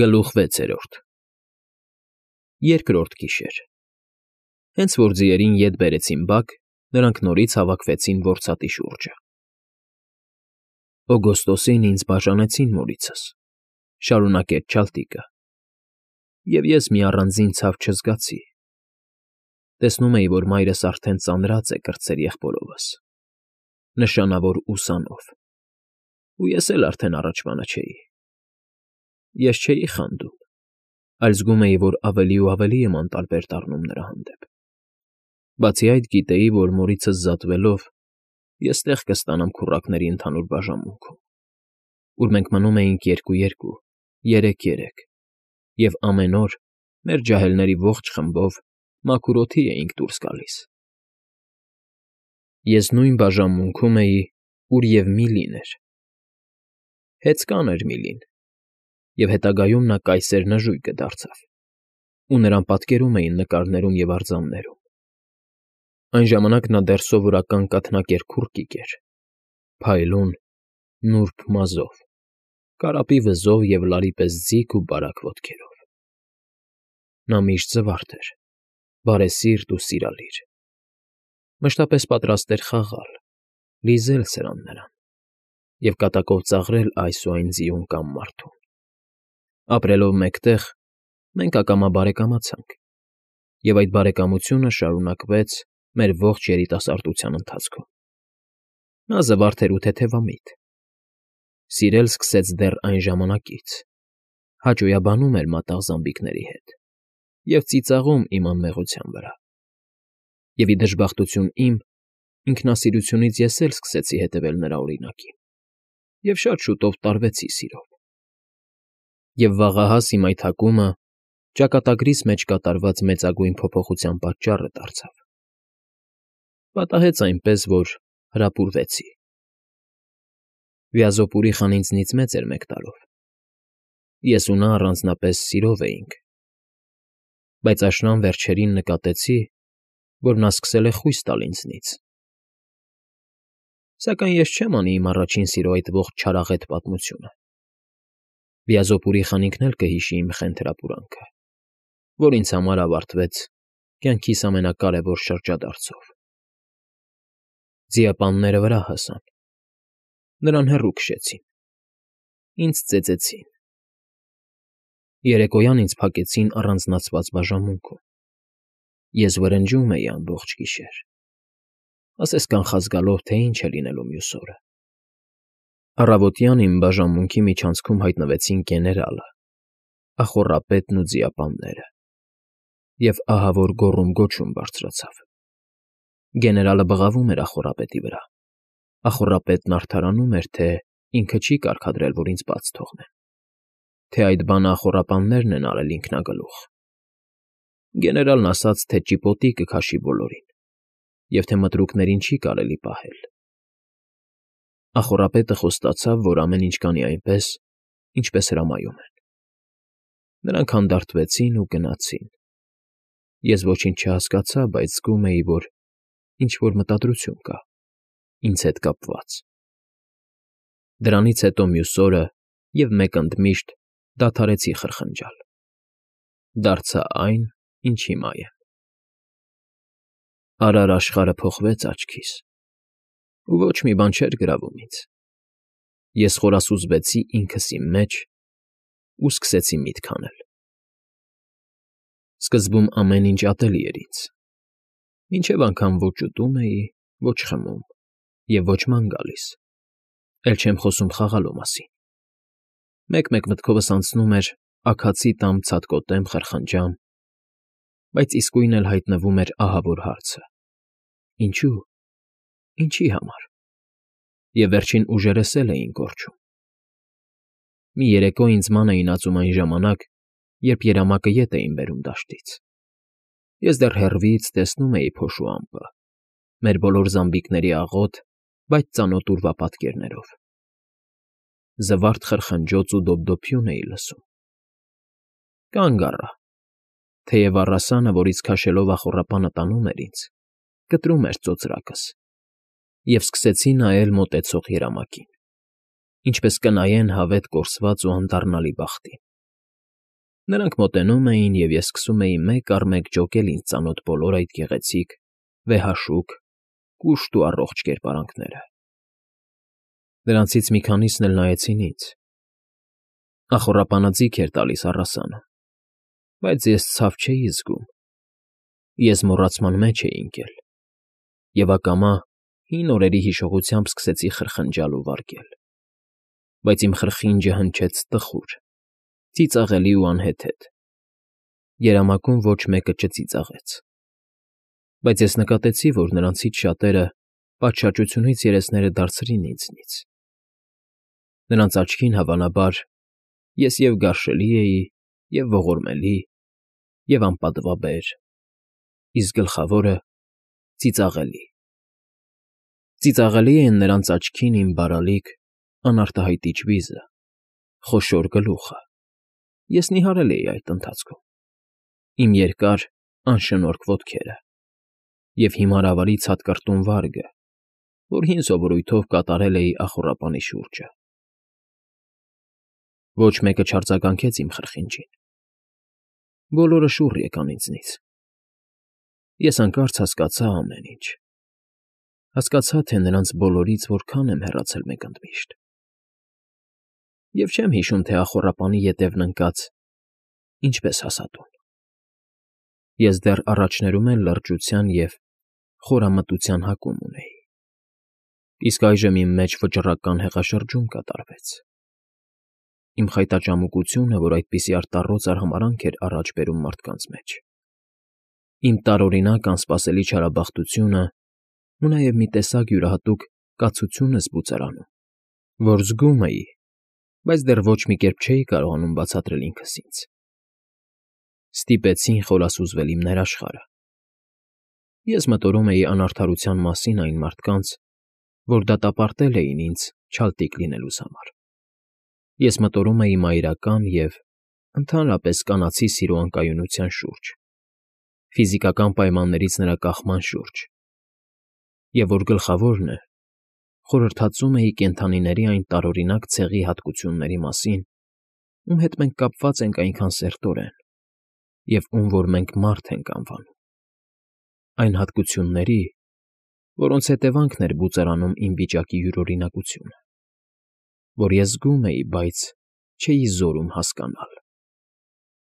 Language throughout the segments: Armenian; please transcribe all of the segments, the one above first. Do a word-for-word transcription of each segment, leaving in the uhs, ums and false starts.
Գլուխ վեցերորդ Երկրորդ գիշեր Հենց որ ձիերին ետ բերեցին բակ, նրանք նորից հավաքվեցին որսատի շուրջը։ Օգոստոսին ինձ բաժանեցին մորիցս, շարունակեց Չալտիկը, և ես մի առանձին ցավ չզգացի. տեսնում էի, որ մայրս արդեն ծանրած է կրտսեր եղբորովս, նշանավոր ուսանով, ու ես էլ արդեն առաջվանը չէի։ Ես չէի խանդում, այլ զգում էի, որ ավելի ու ավելի եմ անտարբեր դառնում նրա հանդեպ։ Բացի այդ, գիտեի, որ մորիցս զատվելով, ես տեղ կստանամ քուռակների ընդհանուր բաժանմունքում, ուր մենք մնում էինք երկու֊երկու, երեք֊երեք, և ամեն օր մեր ջահելների ողջ խմբով մաքուր օդի էինք դուրս գալիս։ Ես նույն բաժանմունքում էի, ուր և Միլին էր։ Հեծկան էր Միլին, և հետագայում նա կայսեր նժույգը դարձավ, ու նրան պատկերում էին նկարներում և արձաններում։ Այն ժամանակ նա դեռ սովորական կաթնակեր քուռկիկ էր, փայլուն, նուրբ մազով, կարապի վզով և լարի պես ձիգ ու բարակ ոտքերով։ Նա միշտ զվարթ էր, բարեսիրտ ու սիրալիր, մշտապես պատրաստ էր խաղալ, լիզել սրան նրան և կատակով ծաղրել այս ու այն ձիուն կամ մարդուն։ Ապրելով մեկտեղ՝ մենք ակամա բարեկամացանք, և այդ բարեկամությունը շարունակվեց մեր ողջ երիտասարդության ընթացքում։ Նա զվարթ էր ու թեթևամիտ, սիրել սկսեց դեռ այն ժամանակից, հաճոյաբանում էր մատաղ զամբիկների հետ և ծիծաղում իմ անմեղության վրա։ Եվ ի դժբախտություն իմ, ինքնասիրությունից ես էլ սկսեցի հետևել նրա օրինակին և շատ շուտով տարվեցի սիրով։ Եվ վաղահաս իմ այդ հակումը ճակատագրիս մեջ կատարված մեծագույն փոփոխության պատճառը դարձավ։ Պատահեց այնպես, որ հրապուրվեցի։ Վիազոպուրիխան ինձնից մեծ էր մեկ տարով, ես ու նա առանձնապես սիրով էինք, բայց աշնան վերջերին նկատեցի, որ նա սկսել է խույս տալ ինձնից։ Սակայն ես չեմ անի իմ առաջին սիրո այդ ողջ չարաղետ պատմությունը։ Վիազոպուրիխան ինքն էլ կհիշի իմ խենթ հրապուրանքը, որ ինձ համար ավարտվեց կյանքիս ամենակարևոր շրջադարձով։ Ձիապանները վրա հասան, նրան հեռու քշեցին, ինձ ծեծեցին։ Երեկոյան ինձ փակեցին առանձնացված բաժանմունքում։ Ես վրնջում էի ամբողջ գիշեր, ասես կանխազգալով, թե ինչ է լինելու մյուս օրը։ Առավոտյան իմ բաժանմունքի միջանցքում հայտնվեցին գեներալը, ախոռապետն ու ձիապանները, և ահավոր գոռում֊գոչում բարձրացավ։ Գեներալը բղավում էր ախոռապետի վրա, ախոռապետն արդարանում էր, թե ինքը չի կարգադրել, որ ինձ բաց թողնեն, թե այդ բանը ախոռապաններն են արել ինքնագլուխ։ Գեներալն ասաց, թե ճիպոտի կքաշի բոլորին, և թե մտրուկներին չի կարելի պահել։ Ախոռապետը խոստացավ, որ ամեն ինչ կանի այնպես, ինչպես հրամայում են։ Նրանք հանդարտվեցին ու գնացին։ Ես ոչինչ չհասկացա, բայց զգում էի, որ ինչ֊որ մտադրություն կա, ինձ հետ կապված։ Դրանից հետո մյուս օրը և մեկ ընդմիշտ դադարեցի խրխնջալ։ Դարձա այն, ինչ հիմա եմ։ Արար աշխարհը փոխվեց աչքիս, ու ոչ մի բան չէր գրավում ինձ։ Ես խորասուզվեցի ինքս իմ մեջ ու սկսեցի միտք անել։ Սկզբում ամեն ինչ ատելի էր ինձ, մինչև անգամ ոչ ուտում էի, ոչ խմում և ոչ ման գալիս, էլ չեմ խոսում խաղալու մասին։ Մեկ֊մեկ մտքովս անցնում էր աքացի տամ, ցատկոտեմ, խրխնջամ, բայց իսկույն էլ հայտնվում էր ահավոր հարցը. ինչո՞ւ, ինչի՞ համար։ Եվ վերջին ուժերս էլ էին կորչում։ Մի երեկո ինձ ման էին ածում այն ժամանակ, երբ երամակը ետ էին բերում դաշտից։ Ես դեռ հեռվից տեսնում էի փոշու ամպը, մեր բոլոր զամբիկների աղոտ, բայց ծանոթ ուրվապատկերներով։ Զվարթ խրխնջոց ու դոպդոփյուն էի լսում։ Կանգ առա, թեև առասանը, որից քաշելով ախոռապանը տանում էր ինձ, կտրում էր ծոծրակս, և սկսեցի նայել մոտեցող երամակին, ինչպես կնայեն հավետ կորսված ու անդառնալի բախտին։ Նրանք մոտենում էին, և ես սկսում էի մեկ առ մեկ ջոկել ինձ ծանոթ բոլոր այդ գեղեցիկ, վեհաշուք, կուշտ ու առողջ կերպարանքները։ Նրանցից մի քանիսն էլ նայեցին ինձ։ Ախոռապանը ձիգ էր տալիս առասանը, բայց ես ցավ չէի զգում, ես մոռացման մեջ էի ընկել, և ակամա հին օրերի հիշողությամբ սկսեցի խրխնջալ ու վարգել, բայց իմ խրխինջը հնչեց տխուր, ծիծաղելի ու անհեթեթ, երամակում ոչ մեկը չծիծաղեց, բայց ես նկատեցի, որ նրանցից շատերը պատշաճությունից երեսները դարձրին ինձնից։ Նրանց աչքին, հավանաբար, ես և՛ գարշելի էի, և՛ ողորմելի, և՛ անպատվաբեր, իսկ գլխավորը՝ ծիծաղելի։ Ծիծաղելի էին նրանց աչքին իմ բարալիկ, անարտահայտիչ վիզը, խոշոր գլուխը (ես նիհարել էի այդ ընթացքում), իմ երկար, անշնորհք ոտքերը և հիմարավարի ցատկռտուն վարգը, որ հին սովորույթով կատարել էի ախոռապանի շուրջը։ Ոչ մեկը չարձագանքեց իմ խրխինջին։ Բոլորը շուռ եկան ինձնից։ Ես հանկարծ հասկացա ամեն ինչ, հասկացա, թե նրանց բոլորից որքան եմ հեռացել մեկընդմիշտ։ Եվ չեմ հիշում, թե ախոռապանի ետևն ընկած ինչպես հասա տուն։ Ես դեռ առաջներում էլ լրջության և խորամտության հակում ունեի, իսկ այժմ իմ մեջ վճռական հեղաշրջում կատարվեց։ Իմ խայտածամկությունը, որ այդպիսի արտառոց արհամարհանք էր առաջ բերում մարդկանց մեջ, իմ տարօրինակ անսպասելի չարաբախտությունը ու նաև մի տեսակ յուրահատուկ կացություն զգուծարանում, որ զգում էի, բայց դեռ ոչ մի կերպ չէի կարողանում բացատրել ինքս ինձ, ստիպեցին խորասուզվել իմ ներաշխարհը։ Ես մտորում էի անարդարության մասին այն մարդկանց, որ դատապարտել էին ինձ չալտիկ լինելուս համար։ Ես մտորում էի մայրական և, ընդհանրապես, կանացի սիրո անկայունության շուրջ, ֆիզիկական պայմաններից նրա կախման շուրջ, և, որ գլխավորն է, խորհրդածում էի կենդանիների այն տարօրինակ ցեղի հատկությունների մասին, ում հետ մենք կապված ենք այնքան սերտորեն և ում որ մենք մարդ ենք անվանում, այն հատկությունների, որոնց հետևանքն էր բուծարանում իմ վիճակի յուրօրինակությունը, որ ես զգում էի, բայց չէի զորում հասկանալ։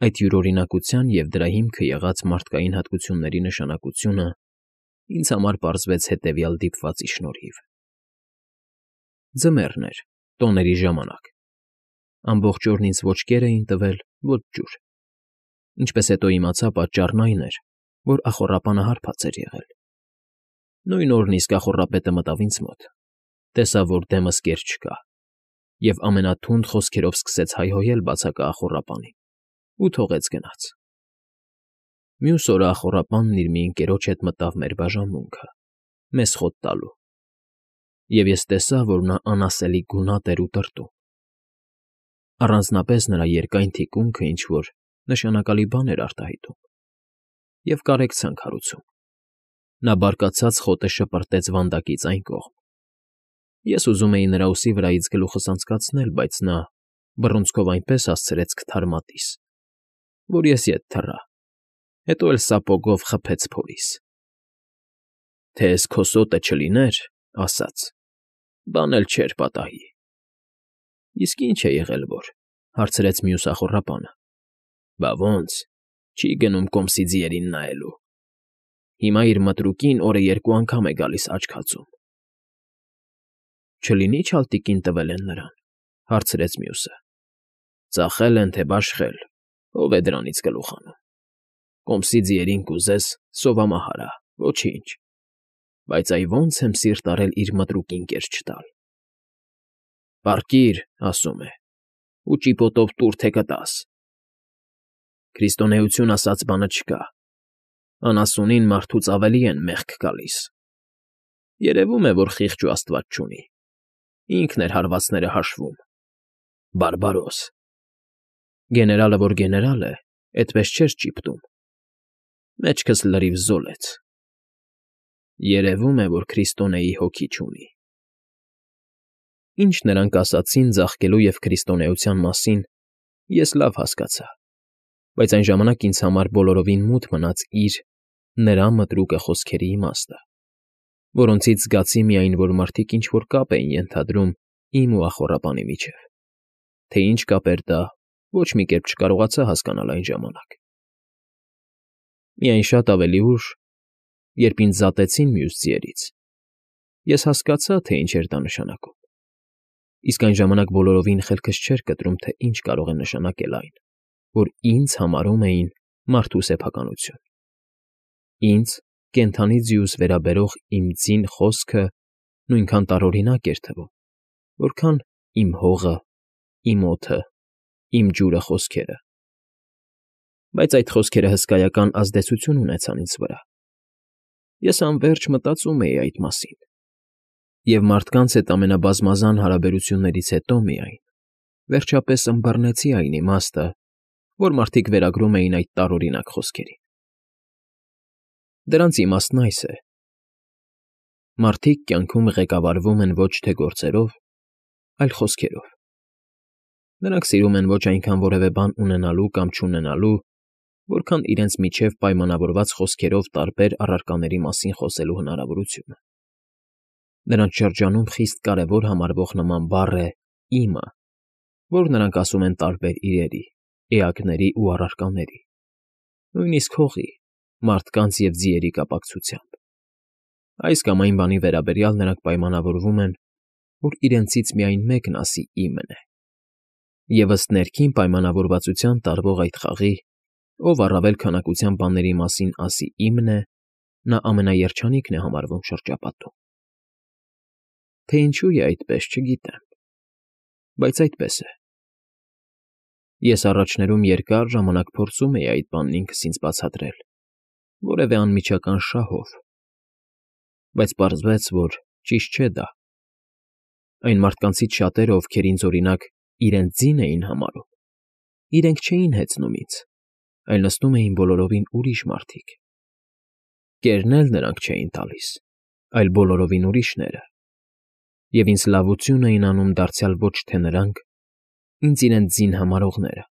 Այդ յուրօրինակության և դրա հիմքը եղած մարդկային հատկությունների նշանակությունը ինձ համար պարզվեց հետևյալ դիպվածի շնորհիվ. Ձմեռն էր, տոների ժամանակ, ամբողջ օրն ինձ ոչ կեր էին տվել, ոչ ջուր, ինչպես հետո իմացա, պատճառն այն էր, որ ախոռապանը հարբած էր եղել։ Նույն օրն իսկ ախոռապետը մտավ ինձ մոտ, տեսավ, որ դեմս կեր չկա, և ամենաթունդ խոսքերով սկսեց հայհոյել բացակա ախոռապանին ու թողեց գնաց։ Մյուս օրը ախոռապանն իր մի ընկերոջ հետ մտավ մեր բաժանմունքը, մեզ խոտ տալու, և ես տեսա, որ նա անասելի գունատ էր ու տրտում։ Առանձնապես նրա երկայն թիկունքը ինչ֊որ նշանակալի բան էր արտահայտում և կարեկցանք հարուցում։ Նա բարկացած խոտը շպրտեց վանդակից այն կողմ։ Ես ուզում էի նրա ուսի վրայից գլուխս անցկացնել, բայց նա բռունցքով այնպես հասցրեց քթար մատիս, որ ես ետ թռա, հետո էլ սապոգով խփեց փորիս։ «Թե էս քո սոտը չլիներ, — ասաց, — բան էլ չէր պատահի»։ «Իսկ ի՞նչ է եղել որ,֊ հարցրեց մյուս ախոռապանը։ Բա ոնց, չի գնում կոմսի ձիերին նայելու։ Հիմա իր մտրուկին օրը երկու անգամ է գալիս աչք հացում»։ «Չլինի՞ չալտիկին տվել են նրան,֊ հարցրեց մյուսը։ Ծախել են, թե բաշխել, ով է դրանից գլուխ հանում։ Կոմսի ձիերին կուզես, սովամահարա, ոչինչ, բայց այ ոնց եմ սիրտ արել իր մտրուկին կեր չտալ։ Պառկիր, ասում է, ու ճիպոտով տուր, թե կտաս։ Քրիստոնեություն ասած բանը չկա, անասունին մարդուց ավելի են մեղք գալիս։ Երևում է, որ խիղճ ու աստված չունի, ինքն էր հարվածները հաշվում։ Բարբարոս։ Գեներալը, որ գեներալ է, էդպես չէր ճիպտում։ Մեջքս լրիվ զոլեց։ Երևում է, որ քրիստոնեի հոգի չունի։ Ինչ նրանք ասացին ձաղկելու և քրիստոնեության մասին, ես լավ հասկացա, Բայց այն ժամանակ ինձ համար բոլորովին մութ մնաց իր, նրա մտրուկը խոսքերի իմաստը, որոնցից զգացի միայն, որ մարդիկ ինչ-որ կապ էին ենթադրում իմ ու ախոռապանի միջև, թե ինչ կապ էր դա, ոչ մի կերպ չկարողացա հասկանալ այն ժամանակ։ Միայն շատ ավելի ուշ, երբ ինձ զատեցին մյուս ձիերից, ես հասկացա, թե ինչ էր դա նշանակում, իսկ այն ժամանակ բոլորովին խելքս չէր կտրում, թե ինչ կարող է նշանակել այն, որ ինձ համարում էին մարդու սեփականություն։ Ինձ, կենդանի ձիուս վերաբերող իմ ձին խոսքը նույնքան տարօրինակ էր թվում, որքան իմ հողը, իմ օդը, իմ ջուրը խոսքերը։ Բայց այդ խոսքերը հսկայական ազդեցություն ունեցան ինձ վրա։ Ես անվերջ մտածում էի այդ մասին, և մարդկանց հետ ամենաբազմազան հարաբերություններից հետո միայն, վերջապես ըմբռնեցի այն իմաստը, որ մարդիկ վերագրում էին այդ տարօրինակ խոսքերին։ Դրանց իմաստն այս է. մարդիկ կյանքում ղեկավարվում են ոչ թե գործերով, այլ խոսքերով։ Նրանք սիրում են ոչ այնքան որևէ բան ունենալու կամ չունենալու, որքան իրենց միջև պայմանավորված խոսքերով տարբեր առարկաների մասին խոսելու հնարավորությունը։ Նրանց շրջանում խիստ կարևոր համարվող նման բառ է «իմը», որ նրանք ասում են տարբեր իրերի, էակների ու առարկաների, նույնիսկ հողի, մարդկանց և ձիերի կապակցությամբ։ Այս կամ այն բանի վերաբերյալ նրանք պայմանավորվում են, որ իրենցից միայն մեկն ասի «իմն է», և ըստ ներքին պայմանավորվածության տարվող այդ խաղի, ով առավել քանակության բաների մասին ասի «իմն է», նա ամենաերջանիկն է համարվում շրջապատում։ Թե ինչու է այդպես, չգիտեմ, բայց այդպես է։ Ես առաջներում երկար ժամանակ փորձում էի այդ բանն ինքս ինձ բացատրել որևէ անմիջական շահով, բայց պարզվեց, որ ճիշտ չէ դա։ Այն մարդկանցից շատերը, ովքեր ինձ, օրինակ, իրենց ձին էին համարում, իրենք չէին հեծնում ինձ, այլ նստում էին բոլորովին ուրիշ մարդիկ։ Կերն էլ նրանք չէին տալիս, այլ բոլորովին ուրիշները, և ինձ լավություն էին անում դարձյալ ոչ թե նրանք, ինձ իրենց ձին համարողները,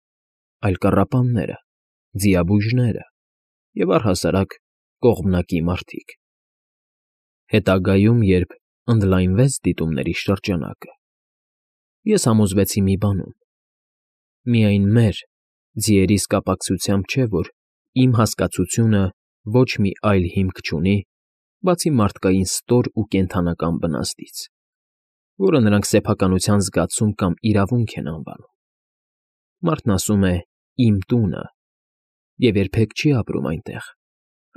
այլ կառապանները, ձիաբույժները և առհասարակ կողմնակի մարդիկ։ Հետագայում, երբ ընդլայնվեց դիտումների շրջանակը, ես համոզվեցի մի բանում. միայն մեր, ձիերիս կապակցությամբ չէ, որ իմ հասկացությունը ոչ մի այլ հիմք չունի, բացի մարդկային ստոր ու կենդանական բնազդից, որը նրանք սեփականության զգացում կամ իրավունք են անվանում։ Մարդն ասում է «իմ տունը» և երբեք չի ապրում այնտեղ,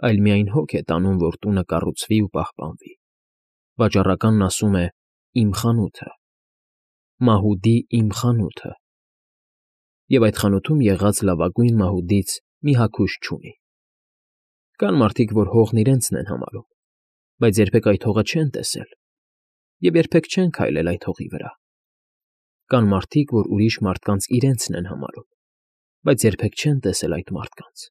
այլ միայն հոգ է տանում, որ տունը կառուցվի ու պահպանվի։ Վաճառականն ասում է «իմ խանութը», մահուդի «իմ խանութը» և այդ խանութում եղած լավագույն մահուդից մի հագուստ չունի։ Կան մարդիկ, որ հողն իրենցն են համարում, բայց երբեք այդ հողը չեն տեսել և երբեք չեն քայլել այդ հողի վրա։ Կան մարդիկ, որ ուրիշ մարդկանց իրենցն են համարում, բայց երբեք չեն տեսել այդ մարդկանց,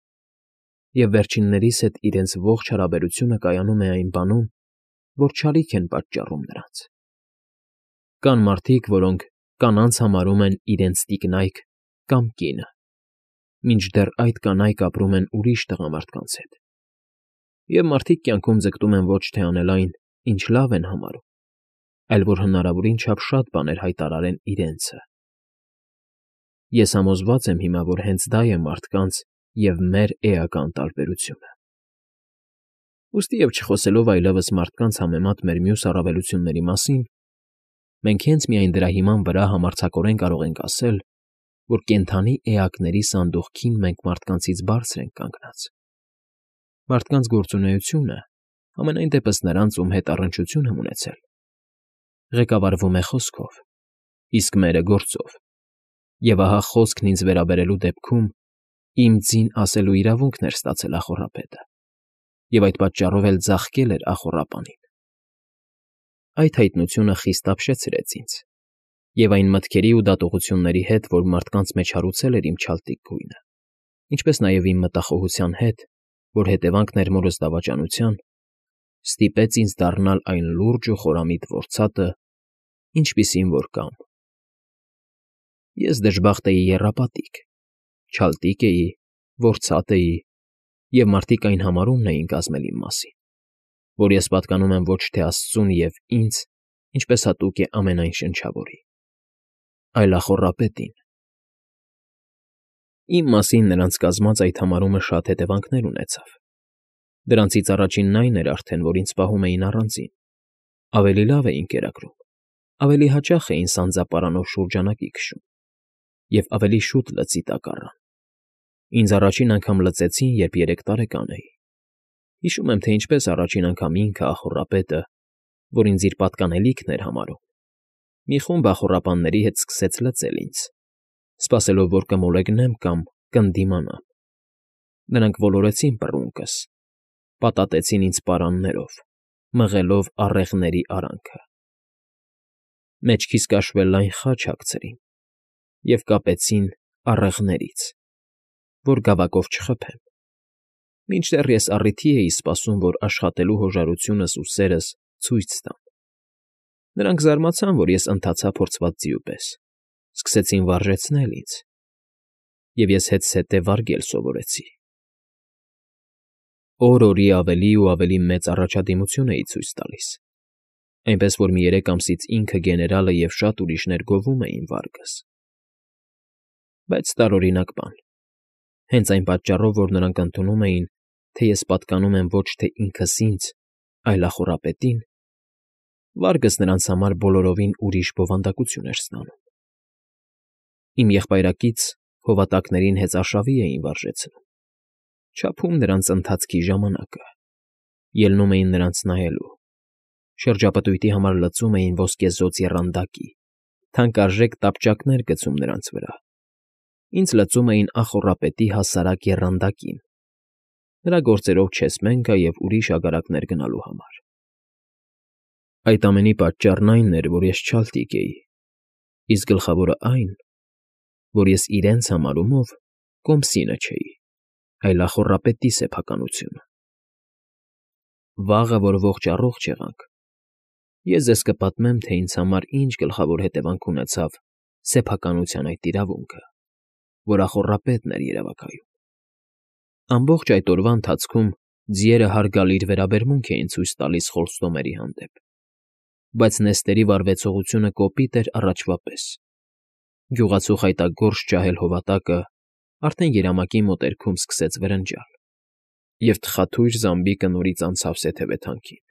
և վերջիններիս հետ իրենց ողջ հարաբերությունը կայանում է այն բանում, որ չարիք են պատճառում նրանց։ Կան մարդիկ, որոնք կանանց համարում են իրենց տիկնայք կամ կինը, մինչդեռ այդ կանայք ապրում են ուրիշ տղամարդկանց հետ, և մարդիկ կյանքում ձգտում են ոչ թե անել այն, ինչ լավ են համարում, այլ որ հնարավորին չափ շատ բաներ հայտարարեն իրենցը։ Ես համոզված եմ հիմա, որ հենց դա է մարդկանց և մեր էական տարբերությունը։ Ուստի և չխոսելով այլևս մարդկանց համեմատ մեր մյուս առավելությունների մասին, մենք հենց միայն դրա հիման վրա համարձակորեն կարող ենք ասել, որ կենդանի էակների սանդուղքին մենք մարդկանցից բարձր ենք կանգնած։ Մարդկանց գործունեությունը, համենայն դեպս նրանց, ում հետ առնչություն եմ ունեցել, ղեկավարվում է խոսքով, իսկ մերը գործով, և ահա խոսքն ինձ վերաբերելու դեպքում իմ ձին ասելու իրավունքն էր ստացել ախոռապետը, և այդ պատճառով էլ ձաղկել էր ախոռապանին։ Այդ հայտնությունը խիստ ապշեցրեց ինձ, և այն մտքերի ու դատողությունների հետ, որ մարդկանց մեջ հարուցել էր իմ չալտիկ գույնը, ինչպես նաև իմ մտախոհության հետ, որ հետևանքն էր մորս դավաճանության, ստիպեց ինձ դառնալ այն լուրջ ու խորամիտ որցատը, ինչպիսին որ կամ։ Ես դժբախտ էի եռապատիկ, չալտիկ էի որ ցատ էի, և մարդիկ այն համարումն էին կազմել իմ մասին, որ ես պատկանում եմ ոչ թե աստծուն և ինձ, ինչպես հատուկ է ամենայն շնչավորի, այլ ախոռապետին։ Իմ մասին նրանց կազմած այդ համարումը շատ հետևանքներ ունեցավ. դրանցից առաջինն այն էր արդեն, որ ինձ պահում էին առանձին, ավելի լավ էին կերակրում, ավելի հաճախ էին սանձապարանով շուրջանակի քշում և ավելի շուտ լծի տակ առան։ Ինձ առաջին անգամ լծեցին, երբ երեք տարեկան էի։ Հիշում եմ, թե ինչպես առաջին անգամ ինքը, ախոռապետը, որ ինձ իր պատկանելիքն էր համարում, մի խումբ ախոռապանների հետ սկսեց լծել ինձ, սպասելով, որ կմոլեգնեմ կամ կընդդիմանամ։ Նրանք ոլորեցին պռունկս, պատատեցին ինձ պարաններով, մղելով առեղների արանքը։ Մեջքիս կաշվե լայն խաչ հագցրին և կապեցին առեղներից, որ գավակով չխփեմ, մինչդեռ ես առիթի էի սպասում, որ աշխատելու հոժարությունս ու սերս ցույց տամ։ Նրանք զարմացան, որ ես ընթացա փորձված ձիու պես, սկսեցին վարժեցնել ինձ, և ես հետզհետե վարգել սովորեցի։ Օր֊օրի ավելի ու ավելի մեծ առաջադիմություն էի ցույց տալիս, այնպես որ մի երեք ամսից ինքը, գեներալը և շատ ուրիշներ գովում էին վարգս։ Բայց տարօրինակ բան։ Հենց այն պատճառով, որ նրանք ընդունում էին, թե ես պատկանում եմ ոչ թե ինքս ինձ, այլ ախոռապետին, վարգս նրանց համար բոլորովին ուրիշ բովանդակություն էր ստանում։ Իմ եղբայրակից հովատակներին հեծարշավի էին վարժեցնում, չափում նրանց ընթացքի ժամանակը, ելնում էին նրանց նայելու, շրջապտույտի համար լծում էին ոսկեզօծ եռանդակի, թանկարժեք տապճակներ գցում նրանց վրա, ինձ լծում էին ախոռապետի հասարակ եռանդակին, նրա գործերով չեսմեն գա և ուրիշ ագարակներ գնալու համար։ Այդ ամենի պատճառն այն էր, որ ես չալտիկ էի, իսկ գլխավորը այն, որ ես իրենց համարումով կոմսինը չէի, այլ ախոռապետի սեփականությունը։ Վաղը, որ ողջ֊առողջ եղանք, ես ձեզ կպատմեմ, թե ինձ համար ինչ գլխավոր հետևանք ունեցավ սեփականության այդ իրավունքը, որ ախոռապետն էր երևակայում։ Ամբողջ այդ օրվա ընթացքում ձիերը հարգալից վերաբերմունք էին ցույց տալիս Խոլստոմերի հանդեպ, բայց նեստերի վարվեցողությունը կոպիտ էր առաջվա պես։ Գյուղացու խայտագործ ջահել հովատակը արդեն երամակի մոտերքում սկսեց վրնջալ, և թխաթույր զամբիկը նորից անցավ սեթևեթանքին։